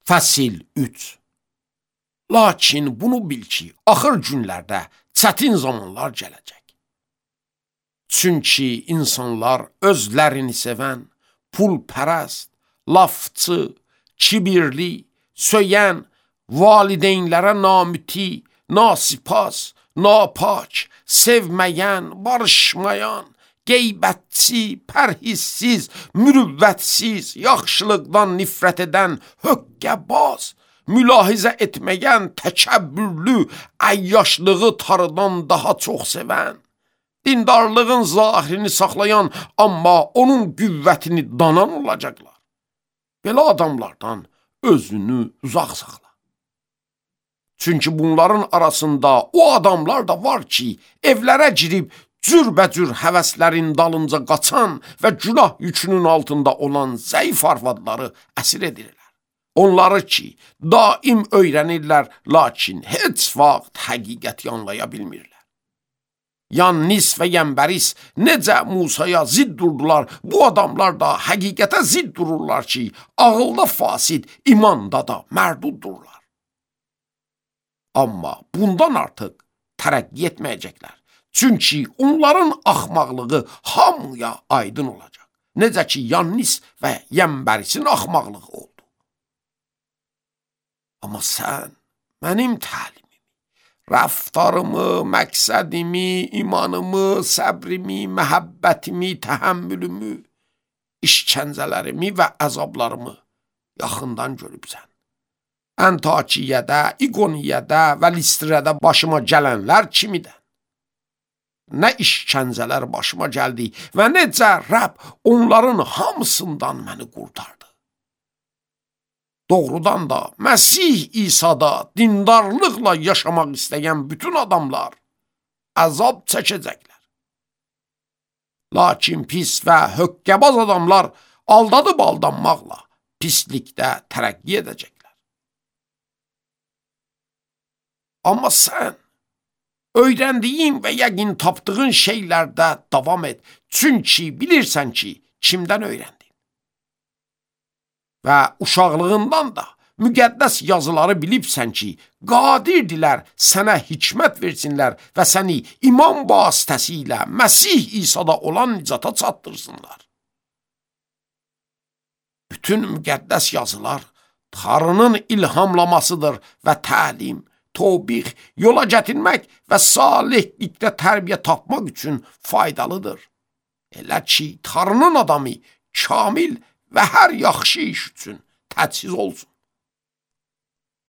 Fəsil 3. Lakin bunu bil ki, axır günlərdə çətin zamanlar gələcək. Çünki insanlar özlərini sevən, pulpərəst, lafçı, kibirli, söyən, valideynlərə namüti, nasipas, napak, sevməyən, barışmayan, qeybətçi, pərhissiz, mürüvvətsiz, yaxşılıqdan nifrət edən, höqqəbaz, mülahizə etməyən, təkəbbürlü, əyyaşlığı tarıdan daha çox sevən, dindarlığın zahirini saxlayan, amma onun qüvvətini danan olacaqlar. Belə adamlardan özünü uzaq saxla. Çünki bunların arasında o adamlar da var ki, evlərə girib cürbəcür həvəslərin dalınca qaçan və günah yükünün altında olan zəif arvadları əsir edirlər. Onları ki, daim öyrənirlər, lakin heç vaxt həqiqəti anlaya bilmirlər. Yannis və Yəmbəris necə Musaya zidd durdular, bu adamlar da həqiqətə zidd dururlar ki, ağılda fasid, imanda da mərduddurlar. Amma bundan artıq tərəqqi etməyəcəklər. Çünki onların axmaqlığı hamıya aydın olacaq. Necə ki, Yannis və Yəmbərisin axmaqlığı oldu. Amma sən mənim təlimimi, rəftarımı, məqsədimi, imanımı, səbrimi, məhəbbətimi, təhəmmülümü, işkəncələrimi və əzablarımı yaxından görübsən. Əntakiyyədə, İqoniyyədə və Listrədə başıma gələnlər kimidən? Nə işkəncələr başıma gəldi və necə Rəbb onların hamısından məni qurtardı. Doğrudan da Məsih İsa'da dindarlıqla yaşamaq istəyən bütün adamlar əzab çəkəcəklər. Lakin pis və höqqəbaz adamlar aldadıb aldanmaqla pislikdə tərəqqi edəcəklər. Amma sən öyrəndiyin və yəqin tapdığın şeylərdə davam et. Çünki bilirsən ki, kimdən öyrəndin. Və uşaqlığından da müqəddəs yazıları bilibsən ki, qadirdirlər sənə hikmət versinlər və səni iman vasitəsilə Məsih İsa'da olan nicata çatdırsınlar. Bütün müqəddəs yazılar Tanrının ilhamlamasıdır və təlim, tövbih, yola gətirmək və salihlikdə tərbiyə tapmaq üçün faydalıdır. Elə ki, Tanrının adamı kamil və hər yaxşı iş üçün təchiz olsun.